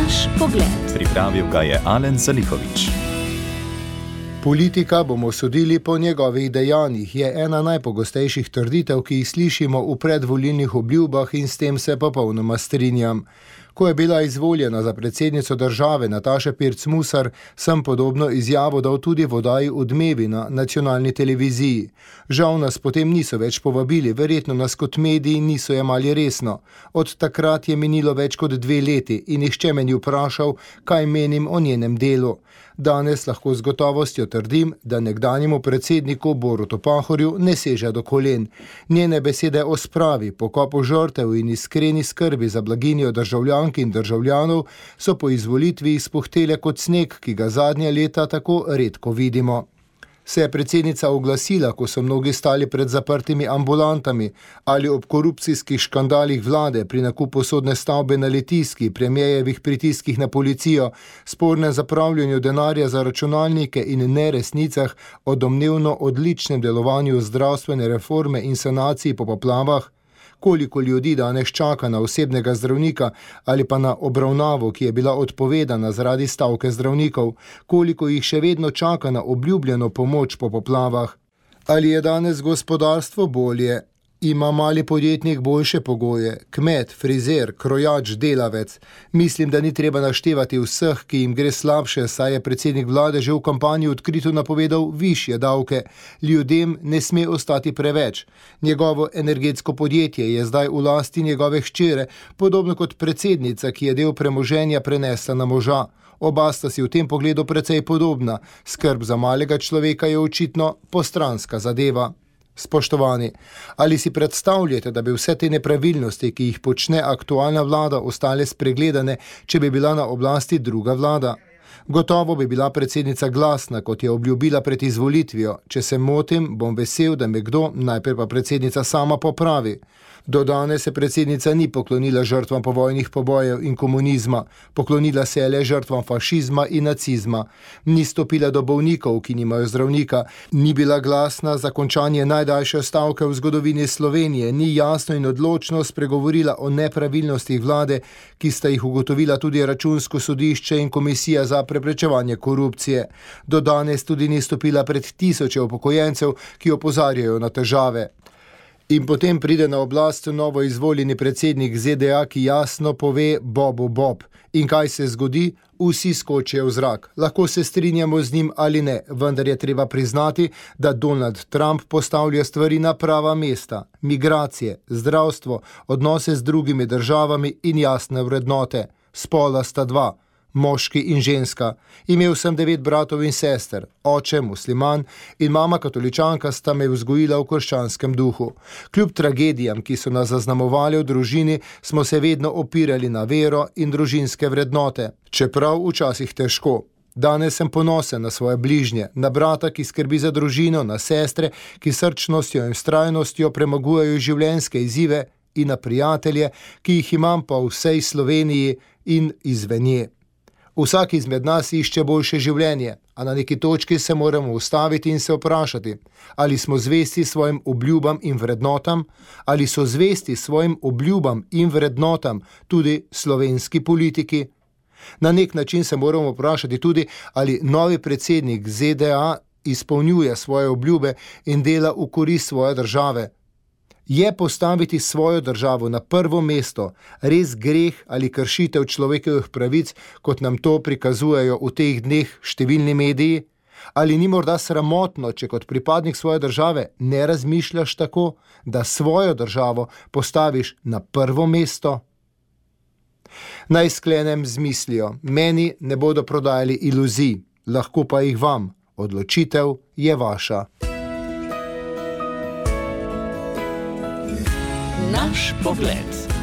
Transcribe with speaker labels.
Speaker 1: Naš pogled.
Speaker 2: Pripravil ga je Alen Zalihović.
Speaker 3: Politika, bomo sodili po njegovih dejanjih, je ena najpogostejših trditev, ki jih slišimo v predvolilnih obljubah, in s tem se popolnoma strinjam. Ko je bila izvoljena za predsednico države Nataša Pirc Musar, sem podobno izjavo dal tudi v oddaji Odmevi na nacionalni televiziji. Žal nas potem niso več povabili, verjetno nas kot mediji niso jemali resno. Od takrat je minilo več kot 2 leti in nihče me ni vprašal, kaj menim o njenem delu. Danes lahko z gotovostjo trdim, da nekdanjemu predsedniku Borutu Pahorju ne seže do kolen. Njene besede o spravi, pokopu žrtev in iskreni skrbi za blaginjo državljank in državljanov so po izvolitvi izpuhtele kot sneg, ki ga zadnja leta tako redko vidimo. Se je predsednica oglasila, ko so mnogi stali pred zaprtimi ambulantami, ali ob korupcijskih škandalih vlade pri nakupu sodne stavbe na Litijski, premierjevih pritiskih na policijo, spornem zapravljanju denarja za računalnike in neresnicah o domnevno odličnem delovanju zdravstvene reforme in sanaciji po poplavah? Koliko ljudi danes čaka na osebnega zdravnika ali pa na obravnavo, ki je bila odpovedana zaradi stavke zdravnikov? Koliko jih še vedno čaka na obljubljeno pomoč po poplavah? Ali je danes gospodarstvo bolje? Ima mali podjetnik boljše pogoje? Kmet, frizer, krojač, delavec? Mislim, da ni treba naštevati vseh, ki jim gre slabše, saj je predsednik vlade že v kampanji odkrito napovedal višje davke. Ljudem ne sme ostati preveč. Njegovo energetsko podjetje je zdaj v lasti njegove hčere, podobno kot predsednica, ki je del premoženja prenesla na moža. Oba sta si v tem pogledu precej podobna. Skrb za malega človeka je očitno postranska zadeva. Spoštovani, ali si predstavljate, da bi vse te nepravilnosti, ki jih počne aktualna vlada, ostale spregledane, če bi bila na oblasti druga vlada? Gotovo bi bila predsednica glasna, kot je obljubila pred izvolitvijo. Če se motim, bom vesel, da me kdo, najprej pa predsednica sama, popravi. Do danes se predsednica ni poklonila žrtvam povojnih pobojev in komunizma, poklonila se je le žrtvam fašizma in nacizma. Ni stopila do bolnikov, ki nimajo zdravnika, ni bila glasna za končanje najdaljše stavke v zgodovini Slovenije, ni jasno in odločno spregovorila o nepravilnostih vlade, ki sta jih ugotovila tudi Računsko sodišče in Komisija za preprečevanje korupcije. Do danes tudi ni stopila pred tisoče upokojencev, ki opozarjajo na težave. In potem pride na oblast novo izvoljeni predsednik ZDA, ki jasno pove Bobu Bob. In kaj se zgodi? Vsi skočijo v zrak. Lahko se strinjamo z njim ali ne, vendar je treba priznati, da Donald Trump postavlja stvari na prava mesta. Migracije, zdravstvo, odnose z drugimi državami in jasne vrednote. Spola sta 2. Moški in ženska. Imel sem 9 bratov in sester, oče musliman in mama katoličanka sta me vzgojila v krščanskem duhu. Kljub tragedijam, ki so nas zaznamovali v družini, smo se vedno opirali na vero in družinske vrednote, čeprav včasih težko. Danes sem ponosen na svoje bližnje, na brata, ki skrbi za družino, na sestre, ki srčnostjo in vztrajnostjo premagujejo življenjske izzive, in na prijatelje, ki jih imam po vsej Sloveniji in izven nje. Vsak izmed nas išče boljše življenje, a na neki točki se moramo ustaviti in se vprašati, ali smo zvesti svojim obljubam in vrednotam, ali so zvesti svojim obljubam in vrednotam tudi slovenski politiki. Na nek način se moramo vprašati tudi, ali novi predsednik ZDA izpolnjuje svoje obljube in dela v korist svoje države. Je postaviti svojo državo na prvo mesto res greh ali kršitev človekovih pravic, kot nam to prikazujejo v teh dneh številni mediji? Ali ni morda sramotno, če kot pripadnik svoje države ne razmišljaš tako, da svojo državo postaviš na prvo mesto? Naj sklenem z mislijo, meni ne bodo prodajali iluzij, lahko pa jih vam. Odločitev je vaša.
Speaker 1: Naš pogled.